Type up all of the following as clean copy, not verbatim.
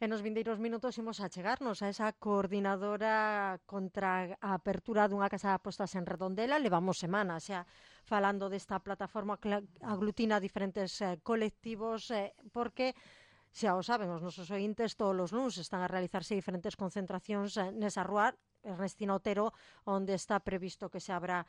E nos vindeiros minutos imos a chegarnos a esa coordinadora contra a apertura dunha casa de apostas en Redondela. Levamos semanas xa falando desta plataforma que aglutina diferentes colectivos, porque xa o saben os nosos ointes, todos os luns están a realizarse diferentes concentracións nesa rúa Ernestina Otero, onde está previsto que se abra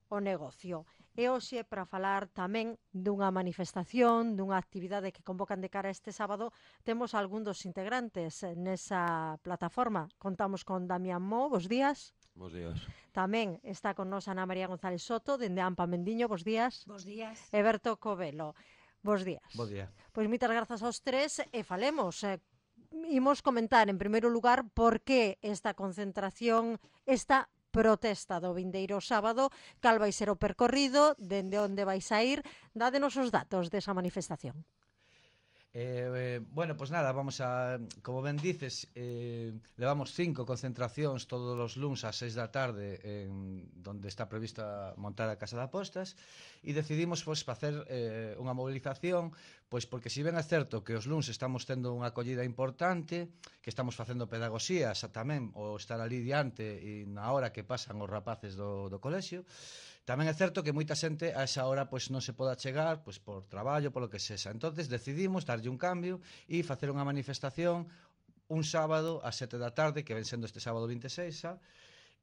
o negocio. E hoxe, para falar tamén dunha manifestación, dunha actividade que convocan de cara a este sábado, temos algún dos integrantes nesa plataforma. Contamos con Damián Mo, bos días. Bos días. Tamén está con nos Ana María González Soto, dende Ampa Mendiño, bos días. Bos días. E Berto Covelo, bos días. Bo día. Pois moitas grazas aos tres e falemos. Imos comentar, en primeiro lugar, por que esta concentración, esta protesta do vindeiro sábado, cal vai ser o percorrido, dende onde vais a ir. Dádenos os datos desa manifestación. Bueno, pues nada, vamos a, como ben dices, levamos 5 concentracións todos os luns ás 6 da tarde donde está prevista montar a Casa de Apostas, e decidimos pues, facer unha movilización, pois porque si ben é certo que os luns estamos tendo unha acollida importante, que estamos facendo pedagogía tamén, o estar ali diante e na hora que pasan os rapaces do colexio, tamén é certo que moita xente a esa hora pois non se poda chegar pois por traballo, polo que sexa. Entonces decidimos darlle un cambio e facer unha manifestación un sábado ás 7 da tarde, que ven sendo este sábado 26 xa,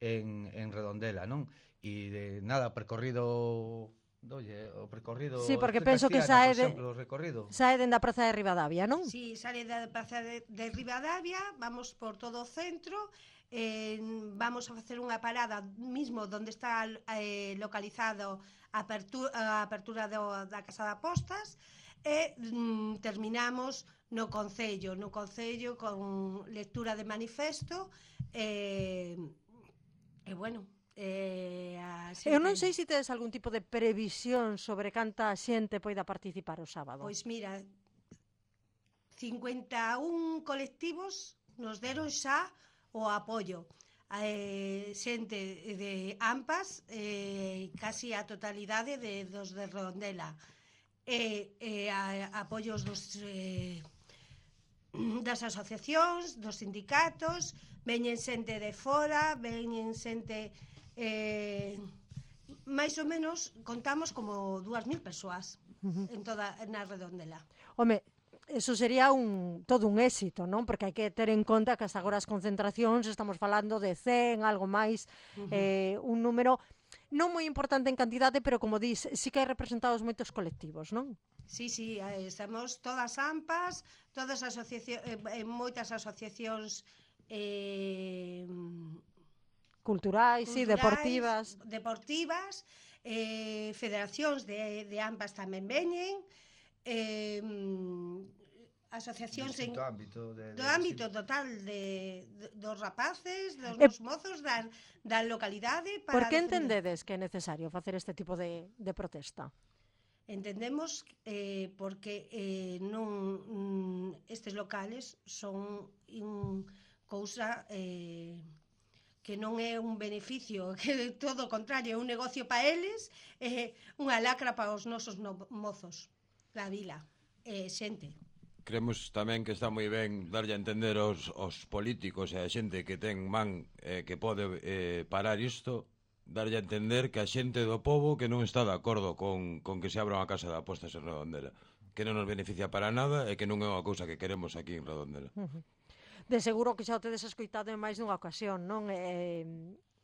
en Redondela, non? E de nada, percorrido o percorrido. Sí, porque penso que sae dende a Praza de Ribadavia, non? Sí, sale da Praza de Ribadavia, vamos por todo o centro, vamos a facer unha parada mismo donde está localizado a apertura da Casa de Apostas, e terminamos no Concello con lectura de manifesto e bueno, eu non sei se tedes algún tipo de previsión sobre canta xente poida participar o sábado. Pois mira, 51 colectivos nos deron xa o apoio. Xente de Ampas, casi a totalidade dos de Redondela. Apoios das asociacións, dos sindicatos, veñen xente de fora, veñen xente... máis ou menos contamos como 2.000 persoas na Redondela. Home, eso sería todo un éxito, non? Porque hai que ter en conta que hasta agora as concentracións estamos falando de 100, algo máis, un número non moi importante en cantidade, pero como dis, sí que hai representados moitos colectivos, non? Sí, estamos todas AMPAs, todas moitas asociacións culturais, deportivas, federacións de AMPAs tamén veñen, asociacións do ámbito total dos rapaces, dos mozos da localidade. Por que entendedes que é necesario facer este tipo de protesta? Entendemos porque estes locales son cousa que non é un beneficio, que todo o contrario, é un negocio para eles, unha lacra para os nosos mozos da vila, xente. Creemos tamén que está moi ben darlle a entender aos políticos e a xente que ten man que pode parar isto, darlle a entender que a xente do pobo que non está de acordo con que se abra unha casa de apostas en Redondela, que non nos beneficia para nada e que non é unha cousa que queremos aquí en Redondela. De seguro que xa o tedes escoitado en máis dunha ocasión, non?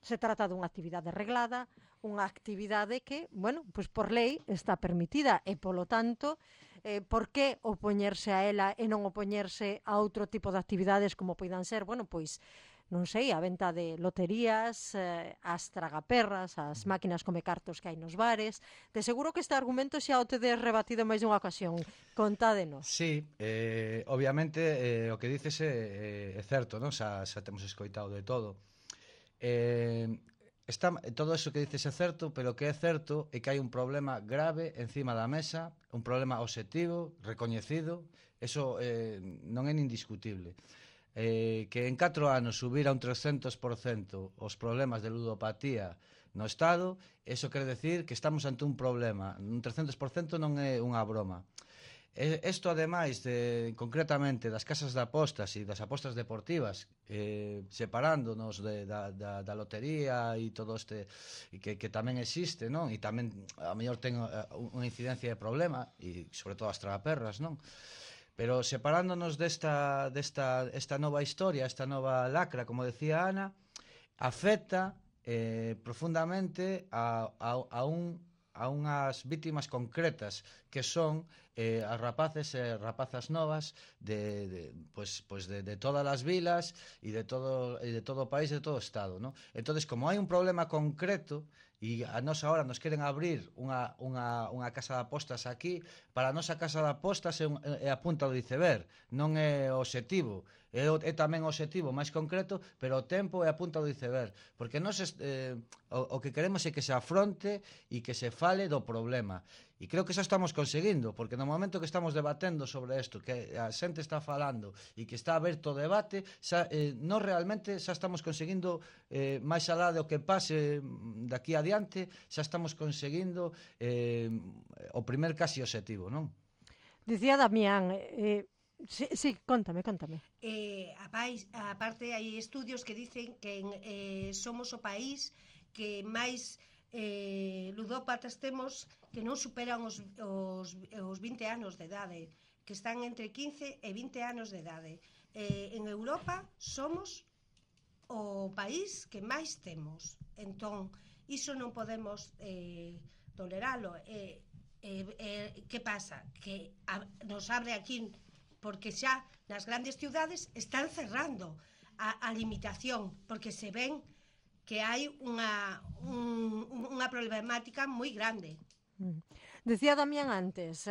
Se trata dunha actividade reglada, unha actividade que, bueno, pois por lei está permitida e, polo tanto, por que opoñerse a ela e non opoñerse a outro tipo de actividades como poidan ser, bueno, pois, non sei, a venta de loterías, as tragaperras, as máquinas come cartos que hai nos bares. De seguro que este argumento xa o tedes rebatido en máis dunha ocasión. Contádenos. Sí, obviamente o que dices é certo, non? Xa temos escoitado de todo. Todo eso que dices é certo, pero o que é certo é que hai un problema grave encima da mesa, un problema obxectivo, recoñecido, eso non é nin discutible. Que en 4 anos subir a un 300% os problemas de ludopatía no Estado, eso quere decir que estamos ante un problema. Un 300% non é unha broma. Isto, ademais, concretamente das casas de apostas e das apostas deportivas, separándonos da lotería e todo este que tamén existe, non? E tamén, a mellor, ten unha incidencia de problema, e sobre todo as tragaperras, non? Pero separándonos desta nova historia, esta nova lacra, como decía Ana, afecta profundamente a unhas vítimas concretas que son as rapaces e rapazas novas de todas as vilas e de todo o país e de todo o estado, ¿no? Entonces, como hai un problema concreto e a nós agora nos queren abrir unha casa de apostas aquí, para a nosa casa de apostas é a punta do iceberg, non é o obxectivo. É tamén o obxectivo máis concreto, pero o tempo é a punta do iceberg, porque nós o que queremos é que se afronte e que se fale do problema. E creo que xa estamos conseguindo, porque no momento que estamos debatendo sobre isto, que a xente está falando e que está aberto o debate, nós realmente xa estamos conseguindo, máis alá do que pase daqui adiante, xa estamos conseguindo o primer casi obxectivo, non? Dicía Damián, sí, contame. Aparte, hai estudios que dicen que somos o país que máis ludópatas temos que non superan os 20 anos de idade, que están entre 15 e 20 anos de idade. En Europa somos o país que máis temos. Entón, iso non podemos toleralo. Que pasa? Que nos abre aquí, porque xa nas grandes ciudades están cerrando a limitación, porque se ven que hai unha problemática moi grande. Decía Damián antes,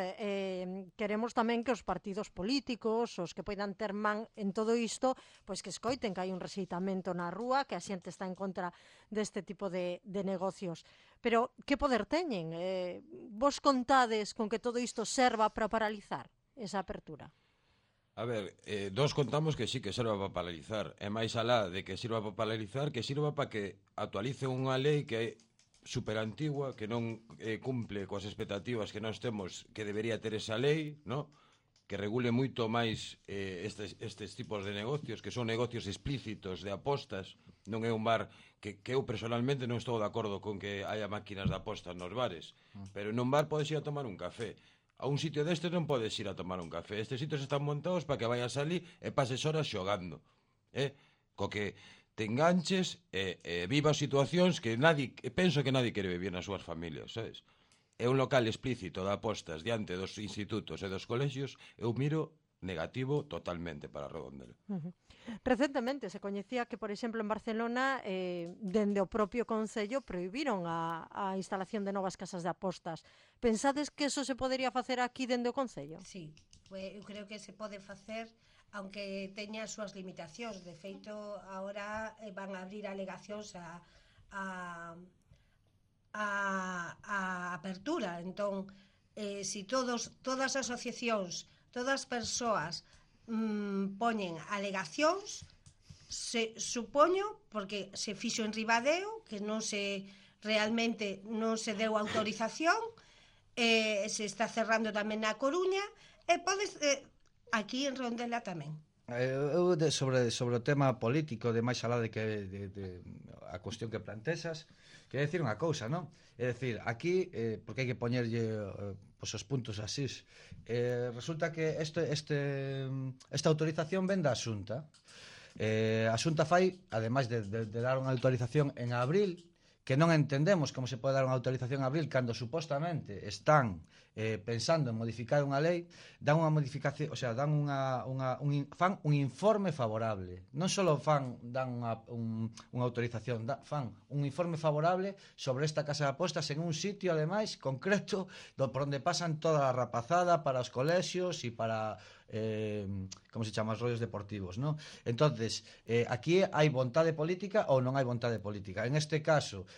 queremos tamén que os partidos políticos, os que poidan ter man en todo isto, pois que escoiten que hai un rexeitamento na rúa, que a xente está en contra deste tipo de negocios. Pero que poder teñen? Vos contades con que todo isto serva para paralizar esa apertura? A ver, nós contamos que sí que serva para paralizar. E máis alá de que sirva para paralizar, que sirva para que actualice unha lei que é super antigua, que non cumple coas expectativas que nós temos que debería ter esa lei, no? Que regule moito máis estes tipos de negocios, que son negocios explícitos de apostas. Non é un bar que eu personalmente non estou de acordo con que haya máquinas de apostas nos bares, pero nun bar podes ir a tomar un café. A un sitio destes non podes ir a tomar un café. Estes sitios están montados para que vayas ali e pases horas xogando, co que te enganches e vivas situacións que penso que nadie quere vivir nas súas familias, sabes? É un local explícito de apostas diante dos institutos e dos colexios, eu miro negativo totalmente para Redondela. Recentemente se coñecía que, por exemplo, en Barcelona, dende o propio Concello prohibiron a instalación de novas casas de apostas. Pensades que eso se podería facer aquí dende o Concello? Sí, eu creo que se pode facer, aunque teña as súas limitacións. De feito, agora van a abrir alegacións a apertura. Entón, se todas as asociacións, todas as persoas poñen alegacións, supoño, porque se fixo en Ribadeo, que realmente non se deu autorización, se está cerrando tamén na Coruña, e podes aquí en Redondela tamén. Eu sobre o tema político, de máis alá de que a cuestión que plantexas, quero decir unha cousa, non? É dicir, aquí, porque hai que poñerlle os puntos así, resulta que esta autorización ven da Xunta. A Xunta fai, ademais de dar unha autorización en abril, que non entendemos como se pode dar unha autorización en abril cando supostamente están pensando en modificar unha lei, dan unha modificación, o sea, fan un informe favorable. Non só dan unha autorización, fan un informe favorable sobre esta casa de apostas en un sitio, ademais, concreto, por onde pasan toda a rapazada para os colexios e para como se chama, os rollos deportivos, ¿no? Entonces, aquí hai vontade política ou non hai vontade política. En este caso,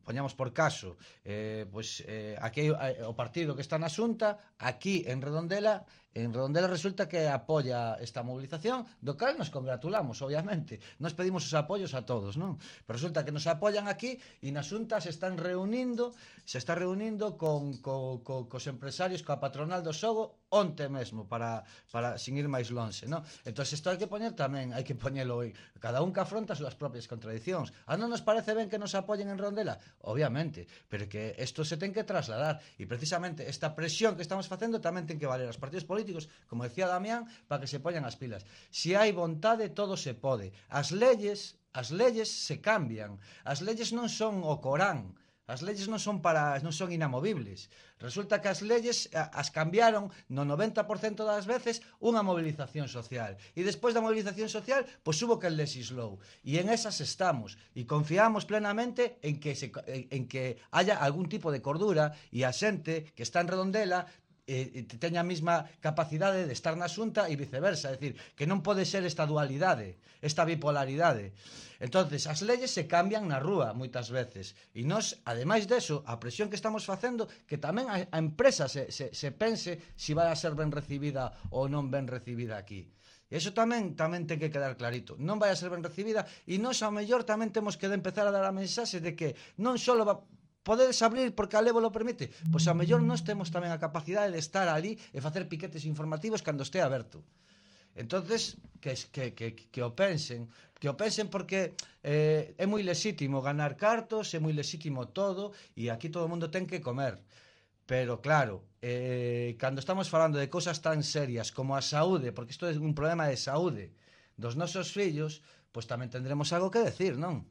poñamos por caso, aquí hai o partido que está na Xunta, aquí en Redondela En Redondela resulta que apoia esta movilización, do cal nos congratulamos, obviamente. Nos pedimos os apoios a todos, non? Pero resulta que nos apoian aquí e na Xunta se está reunindo cos empresarios, coa patronal do xogo, onte mesmo, para sin ir máis lonxe, non? Entón, isto hai que poñer tamén, hai que poñelo hoy. Cada un que afronta as súas propias contradicións. Non nos parece ben que nos apoyen en Redondela? Obviamente, pero que isto se ten que trasladar. E precisamente esta presión que estamos facendo tamén ten que valer aos partidos políticos, como decía Damián, para que se poñan as pilas. Se hai vontade, todo se pode. As leyes se cambian. As leyes non son o Corán. As leyes non son inamovibles. Resulta que as leyes as cambiaron no 90% das veces unha movilización social. E despois da movilización social, pois hubo que legislou. E en esas estamos. E confiamos plenamente en que haya algún tipo de cordura e a xente que está en Redondela teña a mesma capacidade de estar na Xunta e viceversa, é dicir, que non pode ser esta dualidade, esta bipolaridade. Entonces, as leyes se cambian na rúa moitas veces, e nós, ademais deso, a presión que estamos facendo, que tamén a empresa se pense se vai a ser ben recibida ou non ben recibida aquí. E iso tamén ten que quedar clarito. Non vai a ser ben recibida, e nós, ao mellor, tamén temos que empezar a dar a mensaxe de que non só podedes abrir porque a lei vos lo permite, pois a mellor nós temos tamén a capacidade de estar ali e facer piquetes informativos cando este aberto. Entonces, que o pensen porque é moi lexítimo ganar cartos, é moi lexítimo todo, e aquí todo o mundo ten que comer. Pero claro, cando estamos falando de cousas tan serias como a saúde, porque isto é un problema de saúde dos nosos fillos, pois tamén tendremos algo que decir, non?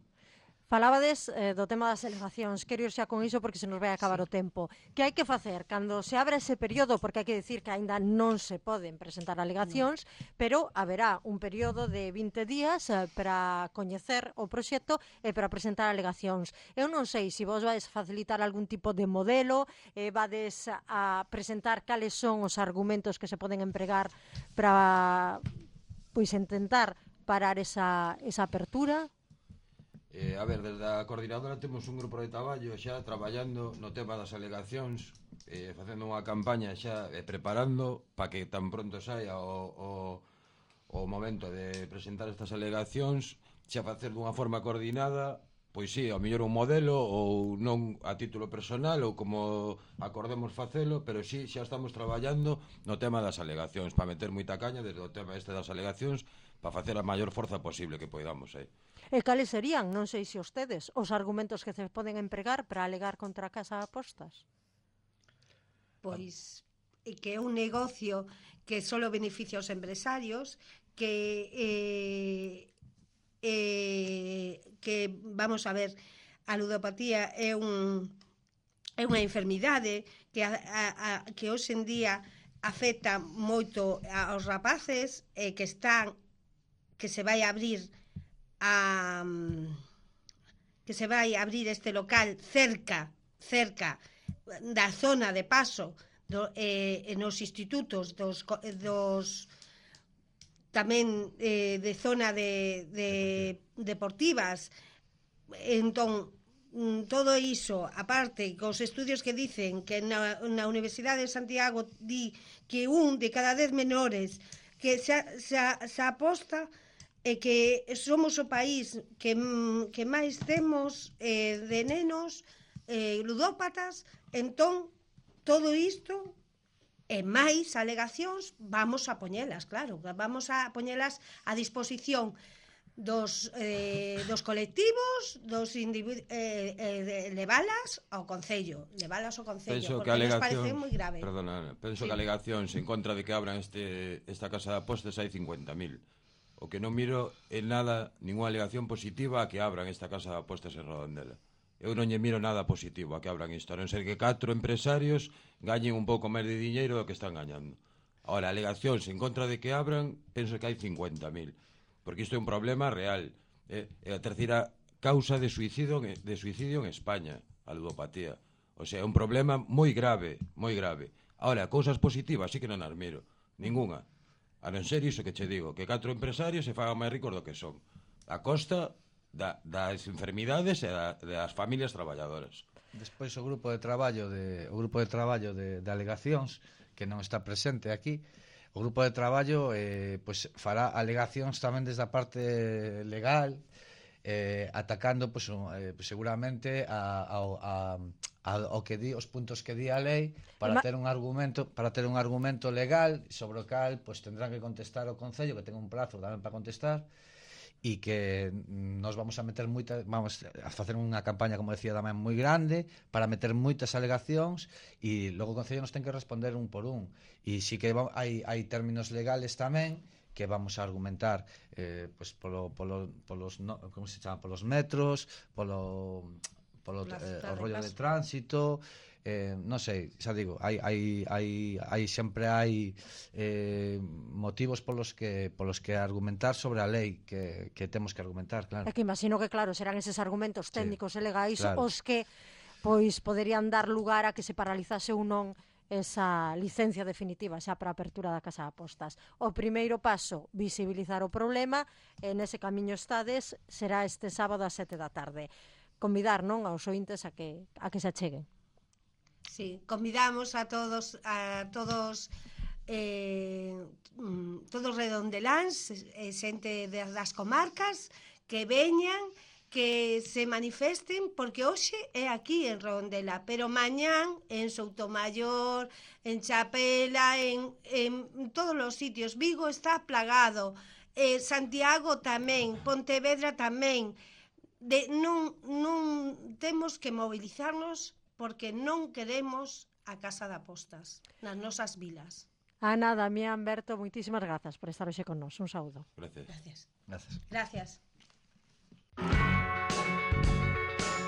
Falabades do tema das alegacións. Quero ir xa con iso porque se nos vai acabar o tempo. Que hai que facer cando se abra ese período? Porque hai que decir que aínda non se poden presentar alegacións, pero haberá un período de 20 días para coñecer o proxecto e para presentar alegacións. Eu non sei se vos vais facilitar algún tipo de modelo, vades a presentar cales son os argumentos que se poden empregar para intentar parar esa apertura. A ver, desde a coordinadora temos un grupo de traballo xa traballando no tema das alegacións, facendo unha campaña xa preparando para que tan pronto saia o momento de presentar estas alegacións, xa facer dunha forma coordinada, pois sí, ao mellor un modelo ou non a título personal ou como acordemos facelo, pero sí, xa estamos traballando no tema das alegacións, para meter moita caña desde o tema este das alegacións, para facer a maior forza posible que poidamos aí. E cales serían, non sei se ustedes, os argumentos que se poden empregar para alegar contra a Casa de Apostas? Pois que é un negocio que só beneficia aos empresarios, que vamos a ver, a ludopatía é unha enfermidade que hoxe en día afecta moito aos rapaces, que se vai a abrir este local cerca da zona de paso nos institutos tamén de zona de deportivas. Entón, todo iso, aparte, cos estudios que dicen que na Universidade de Santiago di que 1 de cada 10 menores que se aposta e que somos o país que máis temos de nenos ludópatas. Entón, todo isto e máis alegacións vamos a poñelas, claro, vamos a poñelas a disposición dos colectivos, levalas ao Concello, penso porque nos parece moi grave. Perdona, penso que alegacións en contra de que abran esta casa de apostas hai 50.000. O que non miro en nada ninguna alegación positiva a que abran esta casa de apostas en Redondela. Eu non lle miro nada positivo a que abran isto, a non ser que 4 empresarios gañen un pouco máis de diñeiro do que están gañando. Ahora, alegacións en contra de que abran, penso que hai 50.000, porque isto é un problema real. É a terceira causa de suicidio en España, a ludopatía. O sea, é un problema moi grave, moi grave. Ahora, cousas positivas sí que non as miro, ninguna. A non ser iso que che digo, que 4 empresarios se fagan máis ricos do que son, a costa das enfermidades e das familias traballadoras. Despois o grupo de traballo de alegacións, que non está presente aquí, O grupo de traballo pois fará alegacións tamén desde a parte legal, atacando pois, seguramente ao que di, os puntos que di a lei para ter un argumento legal sobre o cal pois tendrán que contestar o Concello, que ten un prazo tamén para contestar, e que nos vamos a facer unha campaña, como decía tamén, moi grande para meter moitas alegacións, e logo o Concello nos ten que responder un por un, e si que hai términos legales tamén que vamos a argumentar pois como se chama, polos metros, polo rollo de tránsito, non sei, xa digo, sempre hai motivos polos que argumentar sobre a lei que temos que argumentar, claro. É que imagino que, claro, serán eses argumentos técnicos e legais claro, os que pois poderían dar lugar a que se paralizase ou non esa licencia definitiva xa para a apertura da casa de apostas. O primeiro paso, visibilizar o problema, e nese camiño estades, será este sábado ás 7 da tarde. Convidar, non, aos ointes a que se acheguen. Sí, convidamos a todos todos redondeláns, xente das comarcas, que veñan, que se manifesten, porque hoxe é aquí en Redondela, pero mañán en Soutomaior, en Chapela, en todos os sitios. Vigo está plagado, Santiago tamén, Pontevedra tamén. Non temos que mobilizarnos porque non queremos a casa de apostas nas nosas vilas. Ana, Damián, Berto, moitísimas grazas por estar hoxe con nós. Un saúdo. Gracias. Gracias.